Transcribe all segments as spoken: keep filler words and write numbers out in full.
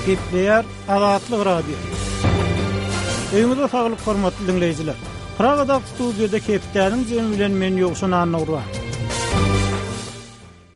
Gepleýär Azatlyk Radiosy. Öýüňize saglyk hormatly diňleýjiler. Pragadaky studiýada hepdäniň jemi bilen men Ýowşan Annagurban.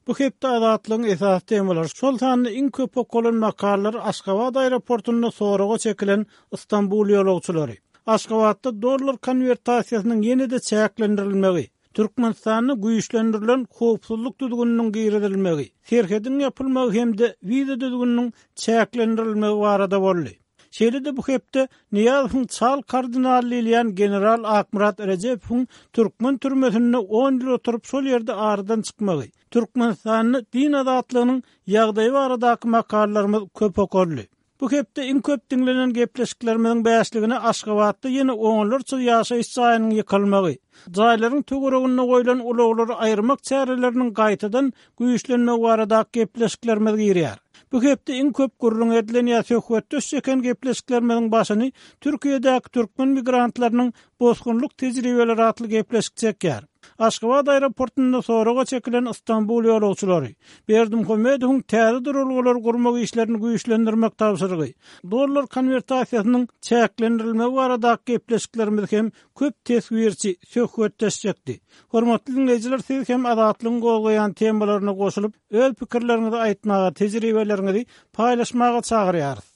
Bu hepde Azatlygyň esasy temalary, şol sanda iň köp okalan makalalar Aşgabat aeroportunda soraga çekilen Istanbul ýolagçylary, Aşgabatda dollar konwertasiýasynyň ýene-de çäklendirilmegi, Türkmenistanda güýçlendirilen howpsuzlyk düzgüniniň girizilmegi, serhediň ýapylmagy hem-de wiza düzgüniniň çäklendirilmegi barada boldy. Şeýle-de bu hepde Nyýazowyň çal kardinaly diýilýän general Akmyrat Rejepowyň türkmen türmesinde on ýyl oturyp şol ýerde aradan çykmagy, Türkmenistanda din azatlygynyň ýagdaýy baradaky makalalarymyz köp okaldy. Bu hepde iň köp diňlenen gepleşiklerimiziň bäşligine Aşgabatda ýene onlarça ýaşaýyş jaýynyň ýykylmagy, jaýlaryň töwereginde goýlan ulaglary aýyrmak çäreleriniň gaýtadan güýçlenmegi baradaky gepleşiklerimiz girýär. Bu hepde iň köp gürrüň edilen ýa söhbetdeş çeken gepleşiklerimiziň başyny Türkiýedäki türkmen migrantlarynyň bosgunlyk tejribeleri atly gepleşik çekýär. Aşgabat aeroportunda soraga çekilen Istanbul ýolagçylary, Berdimuhamedowyň täze duralgalary gurmak işlerini güýçlendirmek tabşyrygy, dollar konwertasiýasynyň çäklendirilmegi baradaky gepleşiklerimiz hem köp teswirçi söhbetdeş çekdi. Hormatly diňleýjiler, siz hem Azatlygyň gozgaýan temalaryna goşulyp, öz pikirleriňizi aýtmaga, tejribeleriňizi paýlaşmaga çagyrýarys.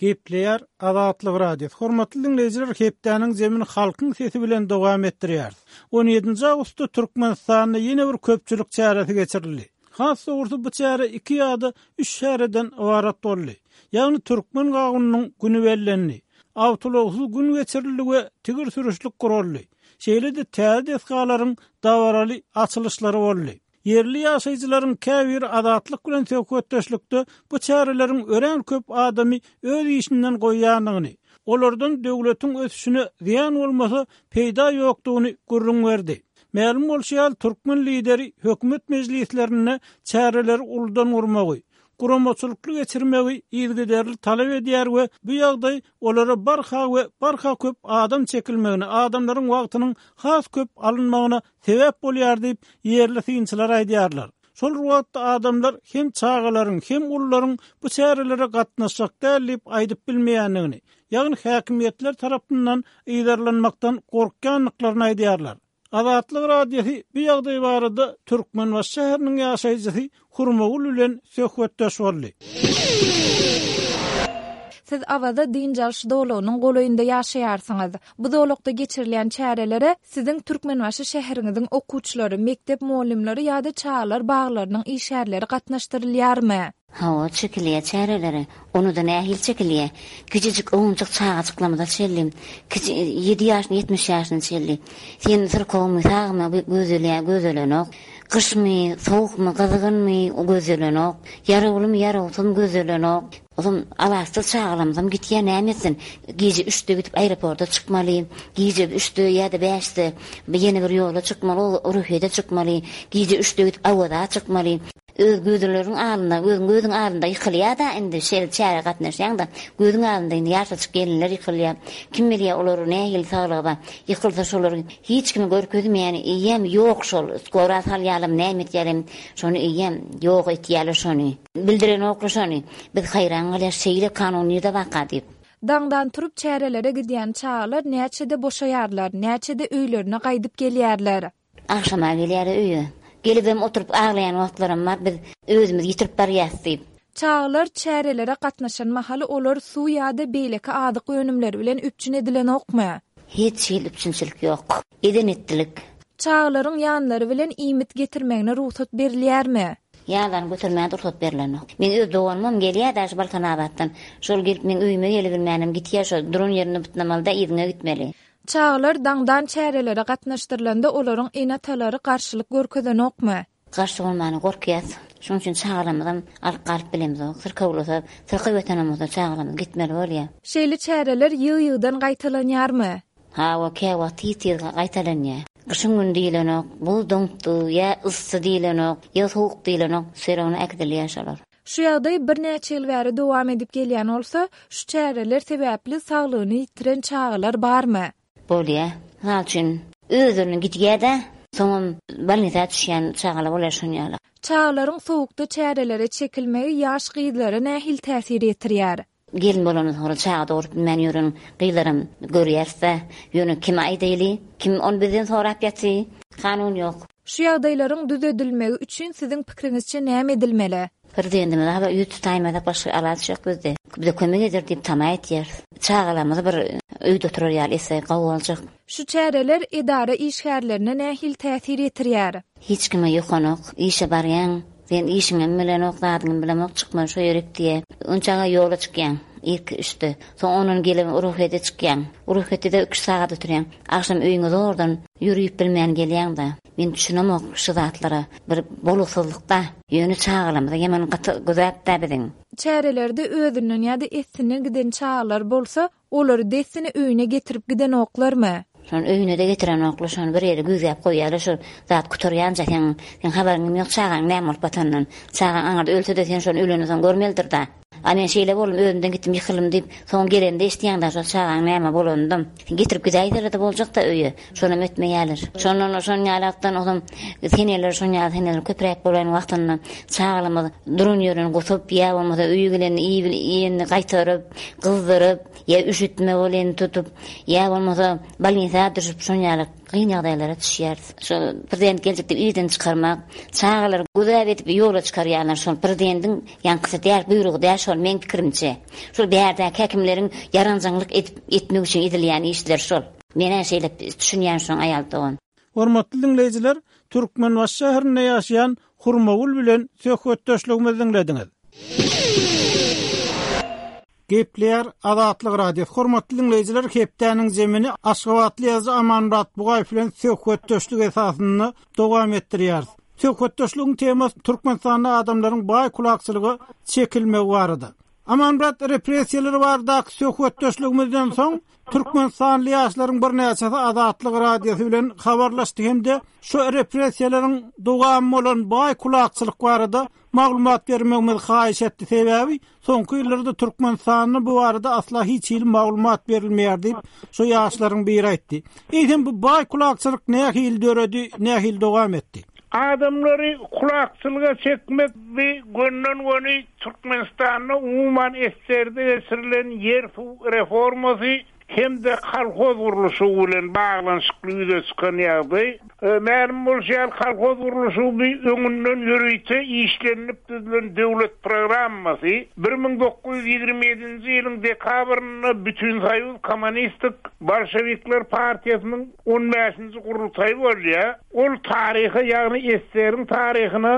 Gepleýär Azatlyk Radiosy. Hormatly diňleýjiler, hepdäniň zemini halkyň sesi bilen dowam etdirýäris. On ýedinji awgustda Türkmenistanda ýene bir köpçülik çäresi geçirildi. Has dogrusy bu çäre iki ýa-da üç çäreden ybarat boldy. Ýagny türkmen gawunynyň güni bellendi. Awtoulagsyz gün geçirildi we tigir sürüşlik guraldy. Şeýle-de täze desgalaryň dabaraly açylyşlary boldy. Ýerli ýaşaýjylaryň käbiri Azatlyk bilen söhbetdeşlikde bu çäreleriň örän köp adamy öz işinden goýýandygyny, olardan döwletiň ösüşine zyýan bolmasa peýda ýokdugyny gürrüň berdi. Mälim bolşy ýaly, türkmen lideri hökümet mejlislerinde çäreleri uludan gurmagy, guramaçylykly geçirmegi yzygiderli talap edýär we bu ýagdaý olara barha we barha köp adam çekilmegine, adamlaryň wagtynyň has köp alynmagyna sebäp bolýar diýip, ýerli synçylar aýdýarlar. Şol bir wagtda adamlar hem çagalaryň, hem ulularyň bu çärelere gatnaşjak däl diýip aýdyp bilmeýändigini, ýagny häkimiýetler tarapyndan yzarlanmakdan gorkýandyklaryny aýdýarlar. Azatlyk Radiosy bu ýagdaý barada Türkmenbaşy şäheriniň ýaşaýjysy Hurmagül bilen söhbetdeş boldy. Siz Awaza dynç alyş zolagynyň golaýynda ýaşaýarsyňyz. Bu zolakda geçirilýän çärelere siziň Türkmenbaşy şäheriňiziň okuwçylary, mekdep mugallymlary ýa-da çagalar baglarynyň işgärleri gatnaşdyrylýarmy? Hawa, çekilýär çärelere. Ony-da nähili çekilýär? Kiçijik owunjak çagajyklarymyza çenli, kiçi ýedi ýaşyna, ýetmiş ýaşyna çenli. Sen syrkawmy, sagmy gözelýär, gözelenok. Gyşmy, sowukmy, gyzgynmy gözelenok. Ýarawlymy, ýarawsyzmy gözelenok. Ozam alaçsyz çagalarymyzam gitýär, näme etsin? Gije üçde gidip aeroporta çykmaly, gije üçde ýa-da bäşde ýene bir ýola çykmaly, o Ruhyýete çykmaly, gije üçde gidip Awaza çykmaly. Öz gözleriň alynda, özüň gözüň alynda ýykylýar-da indi şeýle çärä gatnaşýaň-da, gözüň alynda indi ýaşajyk gelinler ýykylýar. Kim bilýär olar nähili saglygy bar. Ýykylsa şolar hiç kime görkezmeýän eýýäm ýok şol skora salýarlarmy näme etýärem şony eýýäm ýok etýärler şony. Bildirenoklar şony. Biz haýran galýas şeýle kanun nirde barka diýip. Daňdan turup çärelere gidýän çagalar näçede boşaýarlar, näçede öýlerine gaýdyp gelýärler? Agşama gelýär öýe. Gelibem oturyp aglaýan wagtlaram bar, biz özümizi ýitirip barýas diýip. Çagalar çärelere gatnaşan mahaly olar suw ýa-da beýleki azyk önümleri bilen üpjün edilenokmy? Hiç hili üpjünçilik ýok. Eden etdilik. Çagalaryň ýanlary bilen iýmit getirmegine rugsat berilýärmi? Ýanlaryny götermäge rugsat berlenok. Meň öz doganymam gelýär-dä şu Balkanabatdan. Şol gelip meň öýüme gelibilmänem gitýär, şo duran ýerinde bytnamaly-da yzyňa gitmeli. Çagalar daňdan çärelere gatnaşdyrylanda olaryň ene-atalary garşylyk görkezenokmy? Garşy bolmana gorkýas. Şonuň üçin çagalarymyzam alyp galyp bilemizok. Syrkawlasa, syrkaw ýatan bolsa çagalarymyz gitmeli bolýar. Şeýle çäreler ýygy-ýygydan gaýtalanýarmy? Hawa, käwagt tiz-tiz gaýtalanýar. Gyşyň güni diýlenok, buz doňupdy, ýa yssy diýlenok, ýa sowuk diýlenok, serowna äkidilýär şolar. Şu ýagdaý birnäçe ýyl bäri dowam edip gelýän bolsa, şu çäreler sebäpli saglygyny ýitiren çagalar barmy? Bolýar. Mysal üçin, özlerine gidýär-de, soňam bolnisa düşýän çagalar bolýar şon ýaly. Çagalaryň sowukda çärelere çekilmegi ýaş gyzlara nähili täsir ýetirýär? Gelin bolandan soňra çaga dogrup bilmän ýören gyzlaram görýäris-dä. Ýöne kime aýdaýly? Kim ony bizden sorap ýaty? Kanun ýok. Şu ýagdaýlaryň düzedilmegi üçin siziň pikiriňizçe näme edilmeli? Prezidentimize habar ýüz tutaýmasak başga alaç ýok bizde. Bize kömek eder diýip tama etýäris. Çagalarymyzy bir öýde oturar ýaly etse gowy boljak. Şu çäreler edara işgärlerine nähili täsir ýetirýär? Hiç kime ýokanok, işe barýaň, sen işiňem bilenok, zadyňam bilemok, çykma şo ýerik diýe. Onçaga ýola çykýaň, irki üçde. Soň ondan gelip ruhete çykýaň. Ruhetde üç sagat oturýaň. Agşam öýüňe zordan ýörüp bilmän gelýäň-de. Men düşünemok şu zatlara. Bir boluksyzlykda. Ýöne çagalarymyza ýaman gaty güzap-da biziň. Çärelerde özünden ýa-da essinden giden çagalar bolsa, olary dessine öýüne getirip gidenoklarmy? Şony öýüne-de getirenoklar, şony bir ýere güzäp goýýarlar, şol zat gutarýança sen, sen habaryň ýok çagaň näme bolup batandan. Çagaň aňyrda ölse-de sen şony ölenden soň görmelidir-da. A men şeýle boldum, özümden gitdim, ýykyldym diýip, soň gelende eşitýäň-de şol çagaň näme bolanyndan. Sen getirip gidäýseler-de boljak-da öýe. Şonam etmeýärler. Şondan şon ýalakdan ozam seneler şon ýaly seneler köpräk bolan wagtynda çagalarymyz duran ýerinden gusup, ýa bolmasa öýe gelende iýenini gaýtaryp, gyzdyryp, ýa üşütme bolýan tutup, ýa bolmasa bolnisa düşüp şon ýaly kyn ýagdaýlara düşýäris. Şo prezident geljek diýip irden çykarmak, çagalary güzap edip ýola çykarýarlar. Şol prezidentiň ýaňkysy däl, buýrugy däl şol meň pikirimçe. Şol bärdäki häkimleriň ýaranjaňlyk edip etmek üçin edilýän işler şol. Men şeýle düşünýän şoň aýal dogan. Hormatly dinleýjiler, Türkmenbaşy şäherinde ýaşaýan Hurmagül bilen söhbetdeşligimizi dinlediňiz. Gepleýär Azatlyk Radiosy. Hormatly dinleýjiler, hepdäniň zemini Aşgabatly ýazyjy Amanmyrat Bugaýew bilen söhbetdeşlik esasynda dowam etdirýäris. Söhbetdeşligiň temasy Türkmenistanda adamlaryň baý kulakçylyga çekilmegi barada. Amanmyrat, repressiýalar baradaky söhbetdeşligimizden soň Türkmenistanly ýaşlaryň birnäçesi Azatlyk Radiosy bilen habarlaşdy hem-de şu repressiýalaryň dowamy bolan baý kulakçylyk barada maglumat bermegimizi haýyş etdi. Sebäbi soňky ýyllarda Türkmenistanda bu barada asla hiç hili maglumat berilmeýär diýip, şu ýaşlaryň biri aýtdy. Eýsem bu baý kulakçylyk nähili döredi, nähili dowam etdi? Adamlary kulakçylyga çekmek bi gönden göni Türkmenistanda umuman eserde geçirilen ýer suw reformasy hem-de kolhoz gurluşygy bilen baglanyşykly ýüze çykan ýagdaý. Mälim bolşy ýaly kolhoz gurluşygy bi öňünden ýörite işlenilip düzülen döwlet programmasy bir müň dokuz ýüz ýigrimi ýedinji ýylyň dekabrynda Bütünsoýuz Kommunistik Bolşevikler Partiýasynyň on bäşinji gurultaýy bolýar. Ol taryha, ýagny eseriň taryhyna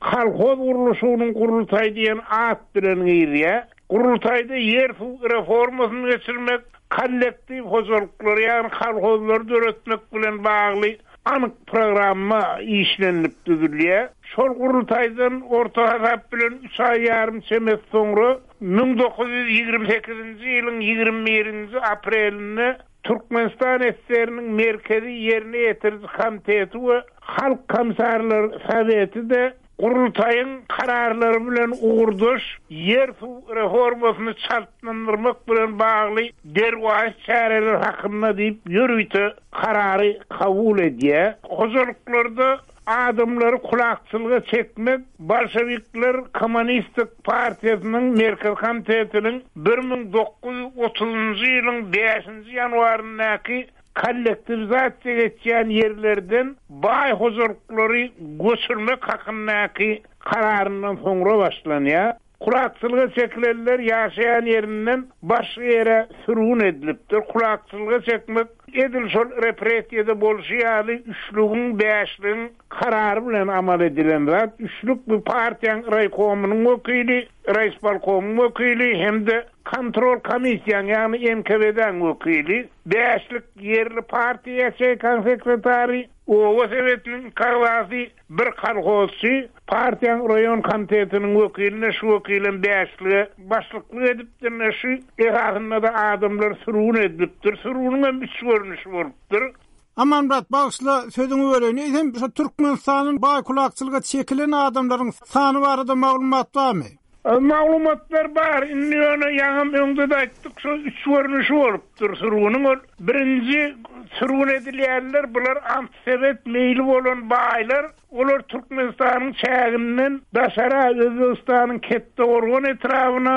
kolhoz gurluşygynyň gurultaýy diýen at bilen girýär. Gurultaýda ýer suw reformasyny geçirmek, kollektiw hojalyklary, ýagny kolhozlary döretmek bilen bagly anyk programma işlenilip düzülýär. Şol gurultaýdan orta hasap bilen üç aý ýarym çemesi soňra müň dokuz ýüz ýigrimi sekizinji ýylyň ýigrimi birinji aprelinde Türkmenistan eseriniň merkezi ýerine ýetiriji komiteti we Halk Komissarlar Soweti de gurultaýyň kararlary bilen ugurdaş ýer suw reformasyny çaltlandyrmak bilen bagly derwaýys çäreler hakynda diýip ýörite karary kabul edýär. Hojalyklarda adamlary kulakçylyga çekmek Bolşevikler Kommunistik Partiýasynyň Merkezi Komitetiniň bir müň dokuz ýüz otuzunjy ýylyň bäşinji ýanwaryndaky kollektiwizasiýa geçýän ýerlerden baý hojalyklary göçürmek hakyndaky kararyndan soňra başlanýar. Kulakçylyga çekilenler ýaşaýan ýerinden başga ýere sürgün edilipdir. Kulakçylyga çekmek edil şol repressiýada bolşy ýaly üçlügiň, bäşligiň karary bilen amal edilen zat. Üçlük bu partiýanyň raýkomynyň wekili, raýspolkomyň wekili hem-de kontrol komissiýanyň, ýagny N K V D-niň wekili, bäşlik ýerli partiýa ýaçeýkan sekretary, oba sebetiniň agzasy, bir kolhozçy, partiýanyň raýon komitetiniň wekiline şu wekilem bäşlige başlyklyk edipdir. Şu esasynda da adamlar sürgün edilipdir. Sürgünüň hem üç görnüşi bolupdyr. Amanmyrat, bagyşla sözüňi böleýin. Eýsem şu Türkmenistanyň baý kulakçylyga çekilen adamlaryň sany barada maglumat barmy? Maglumatlar bar. Indi ýöne ýaňam öňde-de aýtdyk, şo üç görnüşi bolupdyr sürgüniň. Ol birinji sürgün edilýänler bular antisowet meýli bolan baýlar. Olar Türkmenistanyň çäginden daşara Özbegistanyň Kettegorgan etrabyna,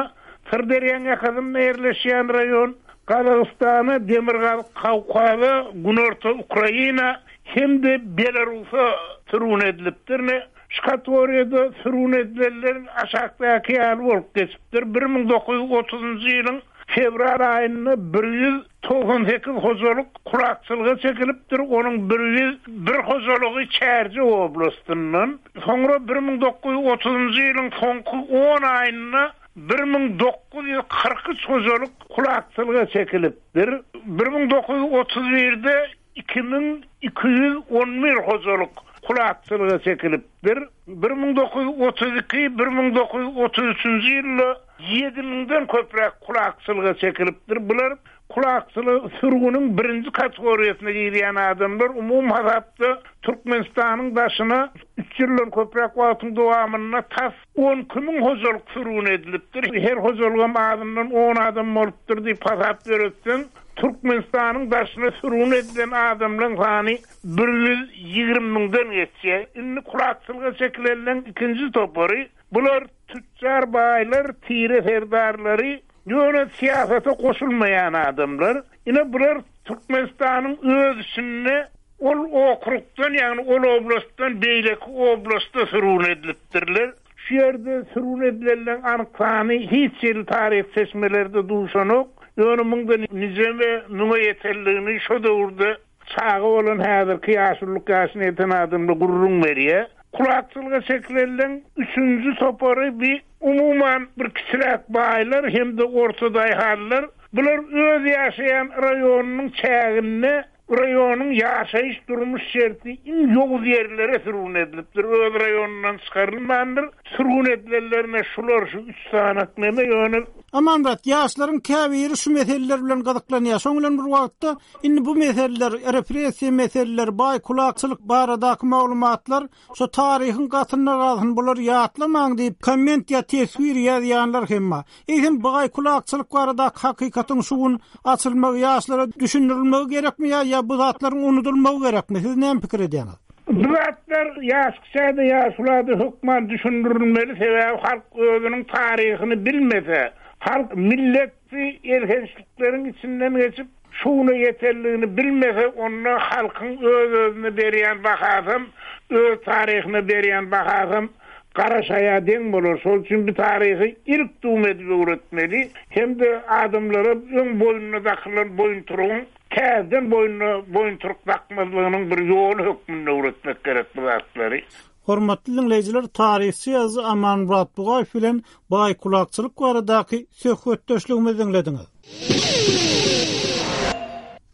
Syrderýaň ýakasynda ýerleşýän raýon, Gazagystana, Demirgazyk Kawkaza, Günorta Ukraina hem-de Belarusa sürgün edilipdir. Ne şu kategoriýada sürgün edilenler aşakdaky ýaly bolup geçipdir. Bir müň dokuz ýüz otuzynjy ýylyň fewral aýynda bir ýüz togsan sekiz hojalyk kulakçylyga çekilipdir, onuň bir ýüz bir hojalygy Çärjew oblastyndan. Soňra bir müň dokuz ýüz otuzynjy ýylyň soňky on aýynda bir müň dokuz ýüz kyrk üç hojalyk kulakçylyga çekilipdir. Bir müň dokuz ýüz otuz birde iki müň iki ýüz on bir hojalyk kulakçylyga çekilipdir. Bir müň dokuz ýüz otuz iki, bir müň dokuz ýüz otuz üçünji ýylda ýedi müňden köpräk kulakçylyga çekilipdir. Bular kulakçylyk sürgüniň birinji kategoriýasyna girýän adamlar. Umumy hasapda Türkmenistanyň daşyna üç ýyldan köpräk wagtyň dowamynda tas on iki müň hojalyk sürgün edilipdir. Her hojalygam azyndan on adam bolupdyr diýip hasap ýöretseň, Türkmenistanyň daşyna sürgün edilen adamlaryň sany bir ýüz ýigrimi müňden geçýär. Indi kulakçylyga çekilenleň ikinji topary bular tüccar baýlar, tire serdarlary, ýöne syýasata goşulmaýan adamlar. Ine bular Türkmenistanyň öz içinde ol okrugdan, ýagny ol oblastdan beýleki oblasta sürgün edilipdirler. Şu ýerde sürgün edilenleň anyk sany hiç ýyl taryh çeşmelerde duşanok. Ýöne müňden nijeme müňe ýetenligini şo döwürde çaga bolan häzirki ýaşulluk ýaşyna ýeten adamlar gürrüň berýär. Kulakçylyga çekilenleň üçünji topary bir umuman bir kiçiräk baýlar hem-de orta daýhanlar. Bular öz ýaşaýan raýonynyň çäginde raýonyň ýaşaýyş durmuş şerti iň ýowuz ýerlere sürgün edilipdir. Öz raýonundan çykarylmandyr. Sürgün edilenlerine şular şu üç sanak neme ýöne. Amanmyrat, ýaşlaryň käbiri şu meseleler bilen gyzyklanýar. Şoň bilen bir wagtda indi bu meseleler, repressiýa meseleleri, baý kulakçylyk baradaky maglumatlar şu taryhyň gatynda galsyn, bular ýatlamaň diýip komment ýa teswir ýazýanlar hem bar. Eýsem baý kulakçylyk baradaky hakykatyň şu gün açylmagy, ýaşlara düşündirilmegi gerekmi ýa, ýa bu zatlaryň unudylmagy gerekmi? Siz näme pikir edýäňiz? Bu zatlar ýaş kişide, ýaşulada hökman düşündirilmeli, sebäbi halk özüniň taryhyny bilmese, halk milleti elhençlikleriň içinden geçip şuna ýeterligini bilmese, onda halkyň öz-özüne berýän bahasam, öz taryhyna berýän bahasam gara şaýa deň bolar. Şol üçin bu taryhy ilk dum edip öwretmeli, hem-de adamlara öň boýnuna dakylan boýunturugyň täzeden boýnuna boýunturuk dakmazlygynyň bir ýoly hökmünde öwretmek gerek bu zatlary. Hormatly dinleýjiler, taryhçy ýazyjy Amanmyrat Bugaýew bilen baý kulakçylyk baradaky söhbetdeşligimizi dinlediňiz.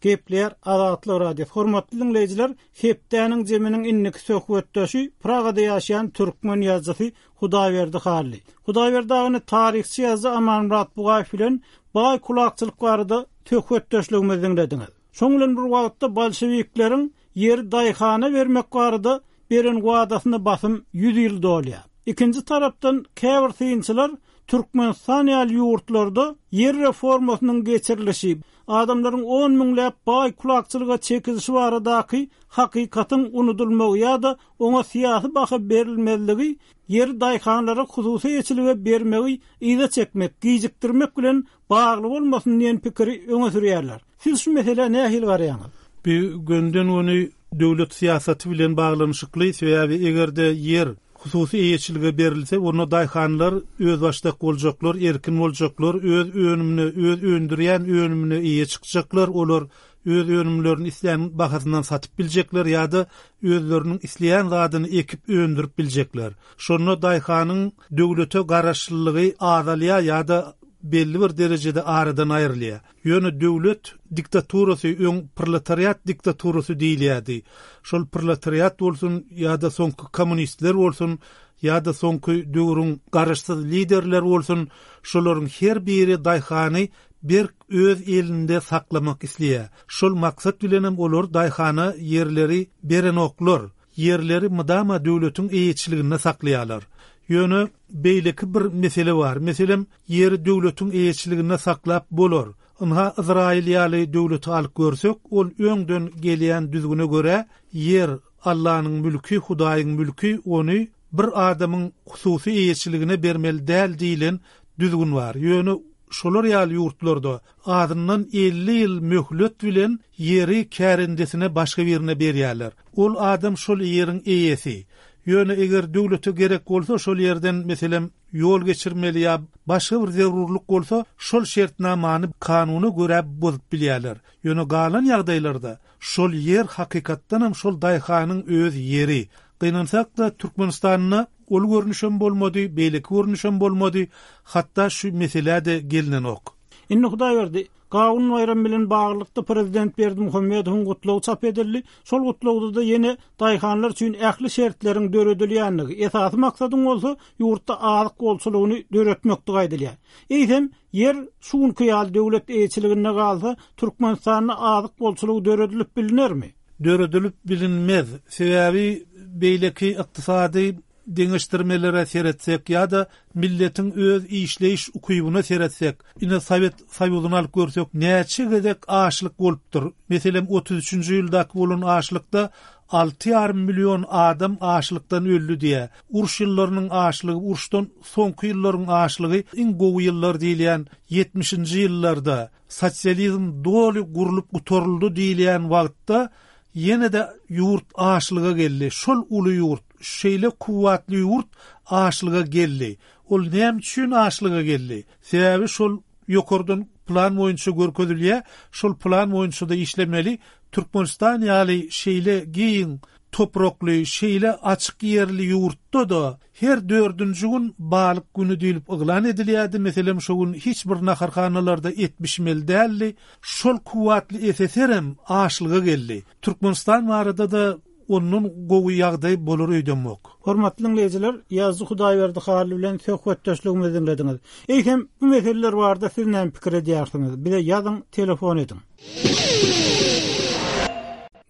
Gepler Azatlyk Radiosy. Hormatly dinleýjiler, hepdäniň zeminiň indiki söhbetdeşi Pragada ýaşaýan türkmen ýazyjysy Hudaýberdi Hally. Hudaýberdi agany taryhçy ýazyjy Amanmyrat Bugaýew bilen baý kulakçylyk barada söhbetdeşligimizi dinlediňiz. Şoň bilen bir wagtda bolşewikleriň ýeri daýhana bermek barada beren wadasyna basym ýüz ýyl dolýar. Ikinji tarapdan käbir synçylar Türkmenistan ýaly ýurtlarda ýer reformasynyň geçirilişi, adamlaryň on müňläp baý kulakçylyga çekilişi baradaky hakykatyň unudulmagy ýa-da oňa syýasy baha berilmezligi, ýeri daýhanlara hususy eýeçilige bermegi yza çekmek, gijikdirmek bilen bagly bolmasyn diýen pikiri öňe sürýärler. Siz şu meselä nähili garaýaňyz? Bir günden güni döwlet syýasaty bilen baglanyşykly, sebäbi egerde ýer hususy eýeçilige berilse, onda daýhanlar öz başdak boljaklar, erkin boljaklar, öz önümine, öz öndürýän önümine eýe çykjaklar, olar öz önümlerini islän bahasyndan satyp biljekler ýa-da özleriniň isleýän zadyny ekip öndürip biljekler. Şonda daýhanyň döwlete garaşlylygy azalýar ýa-da belli bir derejede aradan aýrylýar. Ýöne döwlet diktaturasy öň proletariat diktaturasy diýilýärdi. Şol proletariat bolsun ýa-da soňky kommunistler bolsun ýa-da soňky döwrüň garaşsyz liderler bolsun, şolaryň her biri daýhany berk öz elinde saklamak isleýär. Şol maksat bilenem olar daýhana ýerleri berenoklar, ýerleri mydama döwletiň eýeçiliginde saklaýarlar. Ýöne beýleki bir mesele bar. Meselem, ýeri döwletiň eýeçiliginde saklap bolar. Ynha Izrail ýaly döwleti alyp görsek, ol öňden gelýän düzgüne görä ýer Allah'nyň mülki, Hudaýyň mülki, ony bir adamyň hususy eýeçiligine bermeli däl diýilen düzgün bar. Ýöne şolar ýaly ýurtlarda azyndan elli ýyl möhlet bilen ýeri kärendesine başga birine berýärler. Ol adam şol ýeriň eýesi. Ýöne eger döwlete gerek bolsa şol ýerden meselem ýol geçirmeli ýa başga bir zerurlyk bolsa şol şertnamany kanuna görä bozup bilýärler. Ýöne galan ýagdaýlarda şol ýer hakykatdan hem şol daýhanyň öz ýeri. Gynansak da Türkmenistanda ol görnüşem bolmady, beýleki görnüşem bolmady, hatda şu mesele de gelinenok. Indi Hudaýberdi, Gawun baýram bilen baglylykda prezident Berdimuhamedowyň gutlagy çap edildi. Şol gutlagda da ýene daýhanlar üçin ähli şertleriň döredilýänligi, esasy maksadyň bolsa ýurtda azyk bolçulygyny döretmekdi aýdylýar. Eýsem, ýer şu günki ýaly döwlet eýeçiliginde galsa, Türkmenistanda azyk bolçulygy döredilip bilinermi? Döredilip bilinmez. Sebäbi beýleki ykdysady deňeşdirmelere seretsek ýa-da milletiň öz işleýiş ukybyna seretsek, ine Sowet Soýuzyny alyp görsek, näçe gezek açlyk bolupdyr. Meselem, otuz üçünji ýyldaky bolan açlykda alty ýarym million adam açlykdan öldi diýe. Uruş ýyllarynyň açlygy, uruşdan soňky ýyllaryň açlygy iň gowy ýyllar diýilýän ýetmişinji ýyllarda sosializm doly gurlup gutaryldy diýilýän wagtda ýene de ýurt açlyga geldi. Şol uly ýurt, şeýle kuwwatly ýurt açlyga geldi. Ol näme üçin açlyga geldi? Sebäbi şol ýokardan plan boýunça görkezilýär, şol plan boýunça da işlemeli. Türkmenistan ýaly şeýle giň toprakly, şeýle açyk ýerli ýurtda da her dördünji gün balyk günü diýilip yglan edilýärdi. Meselem, şo gün hiç bir naharhanalarda et bişmeli däldi. Şol kuwwatly S S R hem açlyga geldi. Türkmenistan barada da ondan gowy ýagdaý bolar öýdemok. Hormatly dinleýjiler, Ýazdy Hudaýberdi Hally bilen söhbetdeşligimizi dinlediňiz. Eýsem, bu meseleler barada siz näme pikir edýärsiňiz? Bize ýazyň, telefon ediň.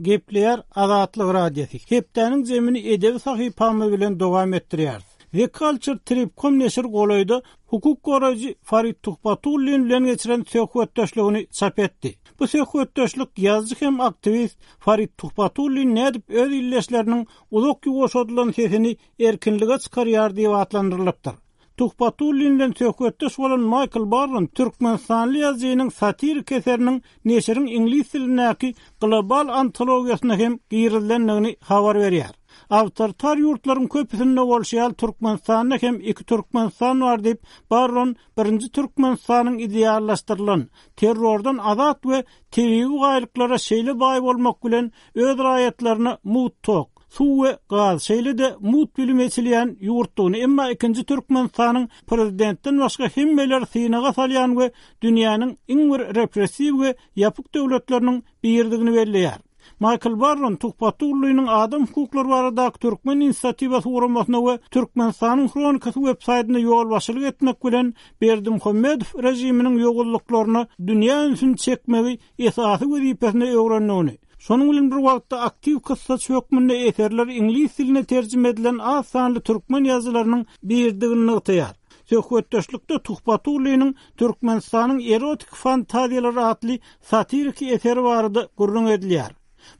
Gepleýär Azatlyk Radiosy. Hepdäniň zemini edebi sahypamyz bilen dowam etdirýäris. The Culture Trip.com neşir golaýda hukuk goraýjy Farid Tuhbatullin bilen geçiren söhbetdeşligini çap etdi. Bu söhbetdeşlik ýazyjy hem aktiwist Farid Tuhbatullin nädip öz illeşleriniň uzak ýuwaşadylan sesini erkinlige çykarýar diýip atlandyrylypdyr. Tuhbatullin bilen söhbetdeş bolan Michael Barron Türkmenistanly ýazyjynyň satirik eseriniň neşiriň iňlis dilindäki global antologiýasyna hem girizilendigini habar berýär. Awtoritar ýurtlaryň köpüsinde bolşy ýaly Türkmenistanda hem iki Türkmenistan bar diýip Barron birinji Türkmenistanyň ideallaşdyrylan terrordan azat we tebigy baýlyklara şeýle baý bolmak bilen öz raýatlaryna mut tok, suw we gaz, şeýle-de mut bilim eçilýän ýurtdugyny, emma ikinji Türkmenistanyň prezidentden başga hemmeler synaga salýan we dünýäniň iň bir repressiw we ýapyk döwletleriniň birdigini belleýär. Michael Barron Tuhbatulliniň adam hukuklary baradaky Türkmen inisiatiwasy guramasyna we Türkmenistanyň Hronikasy web saýtyna ýolbaşçylyk etmek bilen Berdimuhamedow režiminiň ýogullyklaryna dünýä ünsüni çekmegi esasy wezipesine öwrendigini, şonuň bilen bir wagtda aktiw kyssaçy hökmünde eserler iňlis diline terjime edilen az sanly türkmen ýazyjylarynyň birdigini nygtaýar. Söhbetdeşlikde Tuhbatulliniň Türkmenistanyň erotik fantaziýalary atly satiriki eseri barada gürrüň edilýär.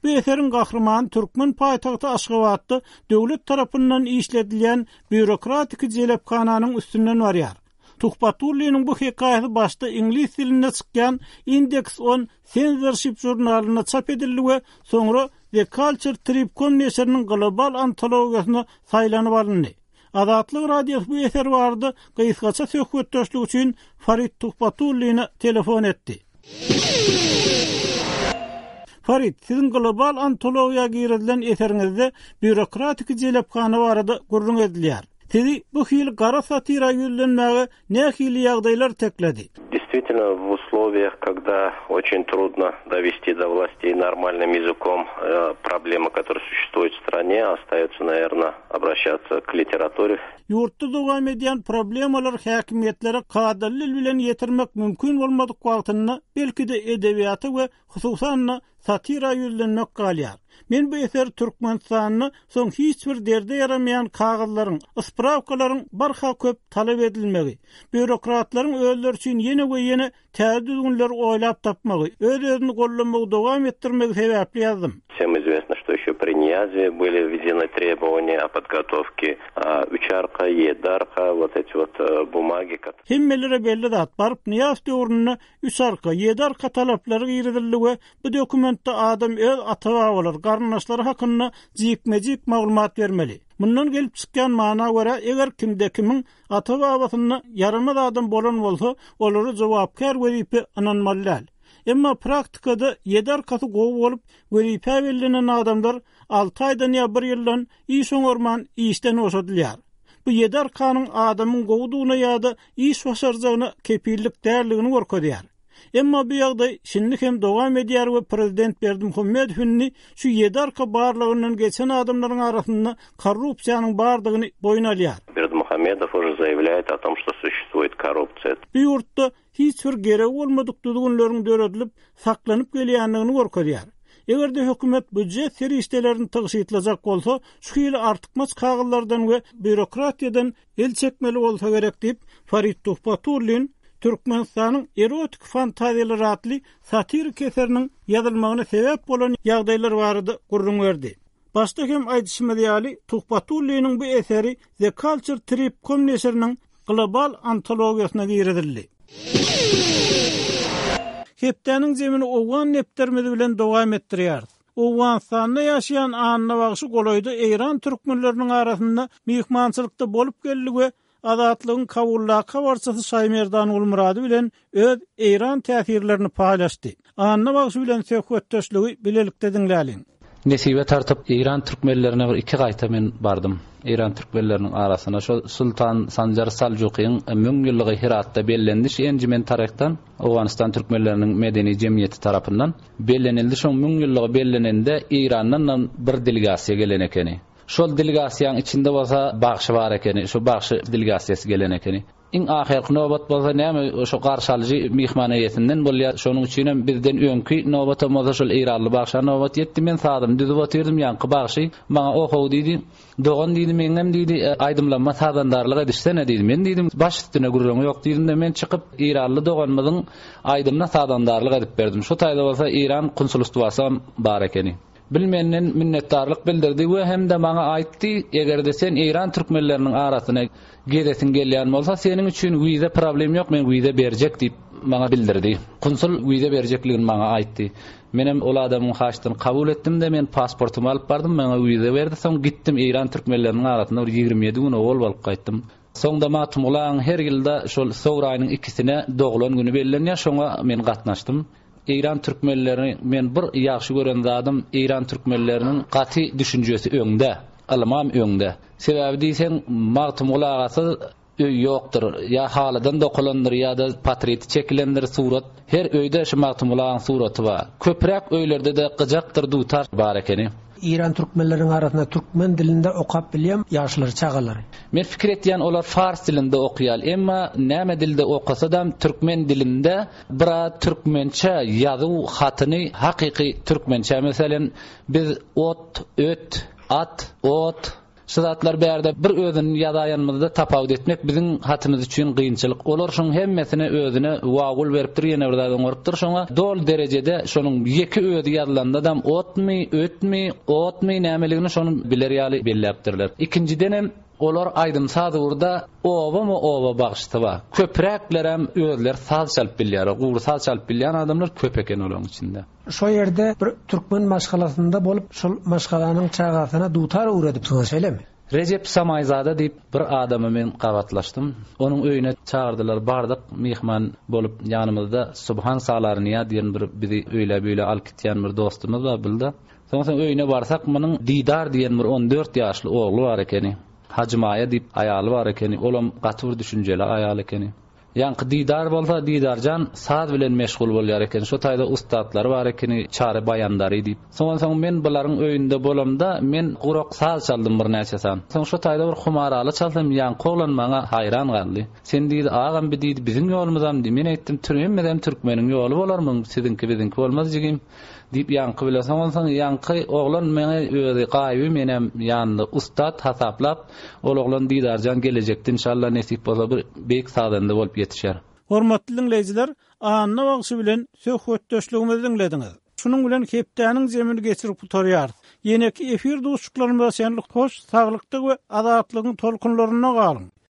Bu eseriň gahrymany türkmen paýtagty Aşgabatda döwlet tarapyndan işledilýän býurokratik jelephananyň üstünden barýar. Tuhbatulliniň bu hekaýasy başda iňlis dilinde çykýan Index on Censorship jurnalynda çap edildi we soňra The Culture Trip.com neşiriniň global antologiýasyna saýlanyp alyndy. Azatlyk Radiosy bu eser barada gysgaça söhbetdeşlik üçin Farid Tuhbatulline telefon etdi. Farid, siziň global antologiýa girizilen eseriňizde býurokratik jelephana barada gürrüň edilýär. Sizi bu hili gara satira ýüzlenmäge nähili ýagdaýlar tekledi? Действительно, в условиях, когда очень трудно довести до властей нормальным языком, э, проблемы, которые существуют в стране, остается, наверное, обращаться к литературе. Ýurtda dowam edýän problemalar häkimiýetlere kadaly bilen ýetirmek mümkin bolmadyk wagtynda belki-de edebiýata we hususan satira ýüzlenmek galýar. Men bu eseri Türkmenistanda soň hiç bir derde ýaramaýan kagyzlaryň, sprawkalaryň barha köp talap edilmegi, býurokratlaryň özleri üçin ýene we ýene täze düzgünleri oýlap tapmagy, öz-özüni gollamagy dowam etdirmegi sebäpli ýazdym. Всем известно, что еще при Ниязове были введены требования о подготовке Üçarka, Ýediarka, вот эти вот бумаги. Hemmelere belli zat, baryp Nyýazow döwründe Üçarka, Ýediarka talaplary girizildi we bu dokumentde adam öz ata-babalary, garyndaşlary hakynda jikme-jik maglumat bermeli. Mundan gelip çykýan mana görä, eger kimde kimiň ata-babasynda ýaramaz adam bolan bolsa, olara jogapkär wezipe ynanmaly däl. Emma praktikada ýedi arkasy gowy bolup, wezipe bellenen adamlar alty aýdan ýa bir ýyldan iş oňarman işden boşadylýar. Bu ýedi arkanyň adamyň gowudygyna ýa-da iş başarjagyna kepillik däldigini görkezýär. Emma bu ýagdaý şindi hem dowam edýär we prezident Berdimuhamedow indi şu ýedi arka barlygyndan geçen adamlaryň arasynda korrupsiýanyň bardygyny boýun alýar. Бердымухамедов уже заявляет о том, что существует коррупция. Bu ýurtda hiç bir gerek bolmadyk düzgünleriň döredilip saklanyp gelýändigini görkezýär. Eger-de hökümet býujet serişdelerini tygşytlajak bolsa, şu hili artykmaç kagyzlardan we býurokratiýadan el çekmeli bolsa gerek diýip, Farid Tuhbatullin Türkmenistanyň erotik fantaziýalary atly satirik eseriniň ýazylmagyna sebäp bolan ýagdaýlar barada gürrüň berdi. Başda hem aýdyşymyz ýaly, Tuhbatulliniň bu eseri The Culture Trip com neşiriniň global antologiýasyna girizildi. Hepdäniň zemini Owgan nepterimiz bilen dowam etdirýäris. Owganystanda ýaşaýan Anna bagşy golaýda Eýran türkmenleriniň arasynda myhmançylykda bolup geldi we Azatlygyň Kabuldaky habarçysy Şaýmerdan Gulmurady bilen öz Eýran täsirlerini paýlaşdy. Anna bagşy bilen söhbetdeşligi bilelikde diňläliň. Nesibe tartyp Eýran türkmenlerine bir iki gaýta men bardym. Eýran türkmenleriniň arasyna şo Sultan Sanjar Saljukyň müň ýyllygy Hiratda bellendi. Şu enjimen taryhdan Owganystan türkmenleriniň medeni jemgyýeti tarapyndan bellenildi. Şoň müň ýyllygy bellenende Eýrandan bir delegasiýa gelen ekeni. Şol delegasiýanyň içinde bolsa bagşy bar ekeni, şu bagşy delegasiýasy gelen ekeni. Iň ahyrky nobat bolsa näme şo garşalyjy myhman eýesinden bolýar. Şonuň üçin hem bizden öňki nobata bolsa şol Eýranly bagşa nobat ýetdi. Men sazymy düzüp otyrdym, ýaňky bagşy maňa ohow diýdi. Dogan diýdi, meňem diýdi, aýdymlanma sazandarlyk edişsene diýdi. Men diýdim, baş üstüne gürrüň ýok diýdim-de, men çykyp Eýranly doganymyzyň aýdymyna sazandarlyk edip berdim. Şu taýda bolsa Eýran konsulstwasy bar ekeni. Bilmenden minnetdarlyk bildirdi we hem de maňa aýtdy, eger-de sen Eýran türkmenleriniň arasyna gezesin gelýän bolsa, seniň üçin wiza problem ýok, men wiza berjek diýip maňa bildirdi. Konsul wiza berjekligini maňa aýtdy. Menem ol adamyň haçdyny kabul etdim-de, men pasportymy alyp bardym, maňa wiza berdi. Soň gitdim Eýran türkmenleriniň arasynda bir ýigrimi ýedi gün owal bolup gaýtdym. Soňda Magtymgulyň her ýylda şol sowraýynyň ikisine doglan güni bellenýär, şoňa men gatnaşdym. Eýran türkmenlerini men bir ýagşy gören zadym, Eýran türkmenleriniň gaty düşünjesi öňde, ylmam öňde. Sebäbi diýseň Magtymguly agasy öý ýokdur, ýa halydan dokulandyr, ýa-da portreti çekilendir surat. Her öýde şu Magtymguly agaň suraty bar. Köpräk öýlerde-de gyjakdyr, dutar bar ekeni. Eýran türkmenleriniň arasynda türkmen dilinde okap bilýän ýaşlar, çagalary. Men fikir etýän olar fars dilinde okuýar, emma näme dilde okasa da türkmen dilinde bira türkmençe ýazuw hatyny hakyky türkmençe, meselen biz ot, öt, at, ot şu zatlar bärde bir özüni ýazaýanymyzda tapawut etmek biziň hatymyz üçin kynçylyk. Olar şoň hemmesine özüne wagul beripdir, ýene bir zat oňarypdyr şoňa. Dol derejede şonuň ýeke özi ýazylanda da otmy, ötmi, otmy nämeligini şonu biler ýaly belläpdirler. Ikinjiden hem olar aýdym saz urda oba mı oba bagşysy bar. Köpräklerem özler saz çalyp bilýär. Gury saz çalyp bilýän adamlar köp eken olaryň içinde. Şo ýerde bir türkmen maşgalasynda bolup, şol maşgalanyň çagasyna dutar öwredipsiňiz, şeýlemi? Recep Samaýzada diýip bir adamy men gabatlaşdym. Onuň öýüne çağırdylar, bardyk, myhman bolup ýanymyzda Subhan Salarniýa diýen bir bizi öýle-beýle alyp gitýän bir dostumyz bar bildi. Soň soň öýüne barsak, munuň Didar diýen bir on dört ýaşly ogly bar ekeni. Hajy Maýa diýip aýaly bar ekeni. Olam gaty bir düşünjeli aýal ekeni. Ýaňky Didar bolsa, Didarjan saz bilen meşgul bolýar eken. Şo taýda ustatlary bar ekeni, Çary Baýandary diýip. Soň soň men bularyň öýünde bolamda, men gurak saz çaldym bir näçe san. Soň şo taýda bir humaraly çalsam, ýaňky oglan maňa haýran galdy. Sen diýdi, agam bi diýdi, biziň ýolumyzam diýdi. Men aýtdym, hemmezem türkmeniň ýoly bolarmyň, siziňki biziňki bolmaz jigim. Diýip ýaňky bile soň onsoň ýaňky oglan meňe özi gaýyby menem ýanynda ussat hasaplap, ol oglan Didarjan gelejekde inşallah nesip bolsa bir beýik sazanda bolup ýetişer. Hormatly diňleýjiler, Anna bagşy bilen söhbetdeşligimizi diňlediňiz. Şunuň bilen hepdäniň jemini geçirip gutarýarys. Ýeneki efir duşuşyklarymyza çenli hoş, saglykda we azatlygyň tolkunlarynda galyň.